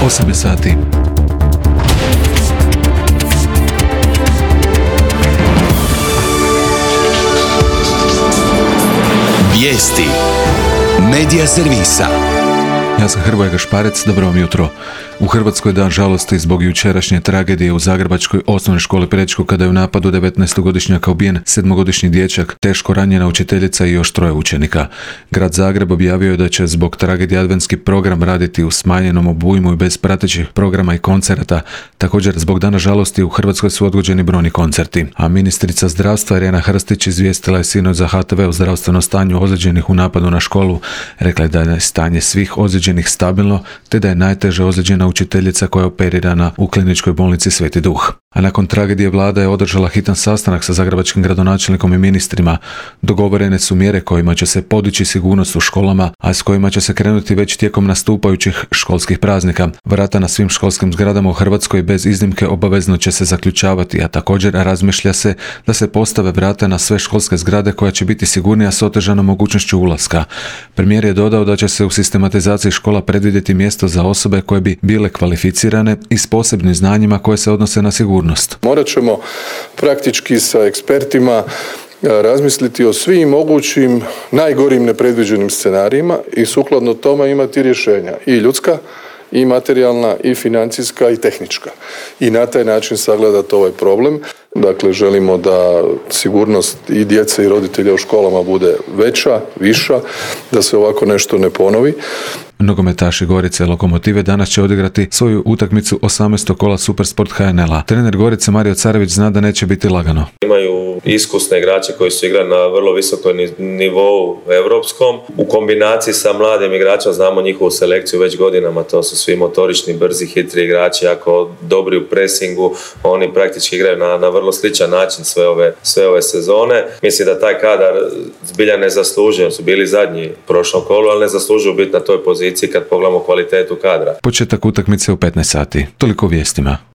8 sati. Vijesti Medija servisa. Ja sam Hrvoje Gašparec, dobro vam jutro. U Hrvatskoj dan žalosti zbog jučerašnje tragedije u Zagrebačkoj osnovnoj školi Prečko kada je u napadu 19-godišnjaka ubijen 7-godišnji dječak, teško ranjena učiteljica i još 3 učenika. Grad Zagreb objavio je da će zbog tragedije adventski program raditi u smanjenom obujmu i bez pratećih programa i koncerata. Također, zbog dana žalosti u Hrvatskoj su odgođeni brojni koncerti. A ministrica zdravstva Irena Hrstić izvijestila je sinoć za HTV o zdravstvenom stanju ozlijeđenih u napadu na školu. Rekla je da je stanje svih ozlijeđenih stabilno, te da je najteže ozlijeđena učiteljica koja je operirana u kliničkoj bolnici Sveti Duh. A nakon tragedije vlada je održala hitan sastanak sa zagrebačkim gradonačelnikom i ministrima. Dogovorene su mjere kojima će se podići sigurnost u školama, a s kojima će se krenuti već tijekom nastupajućih školskih praznika. Vrata na svim školskim zgradama u Hrvatskoj bez iznimke obavezno će se zaključavati, a također razmišlja se da se postave vrata na sve školske zgrade koja će biti sigurnija s otežanom mogućnošću ulaska. Premijer je dodao da će se u sistematizaciji škola predvidjeti mjesto za osobe koje bi bile kvalificirane i s posebnim znanjima koje se odnose na sigurnost. Morat ćemo praktički sa ekspertima razmisliti o svim mogućim najgorim nepredviđenim scenarijima i sukladno tome imati rješenja i ljudska, i materijalna, i financijska, i tehnička. I na taj način sagledati ovaj problem. Dakle, želimo da sigurnost i djece i roditelja u školama bude veća, viša, da se ovako nešto ne ponovi. Nogometaši Gorice Lokomotive danas će odigrati svoju utakmicu 18. kola Supersport HNL-a. Trener Gorice Mario Carević zna da neće biti lagano. Imaju iskusne igrače koji su igrali na vrlo visokom nivou europskom. U kombinaciji sa mladim igračima znamo njihovu selekciju već godinama. To su svi motorični, brzi, hitri igrači, jako dobri u presingu. Oni praktički igraju na vrlo sličan način sve ove sezone. Mislim da taj kadar zbilja ne zaslužuje. Su bili zadnji prošlom kolu, ali ne zaslužuju biti na toj poziciji kad pogledamo kvalitetu kadra. Početak utakmice u 15 sati. Toliko o vijestima.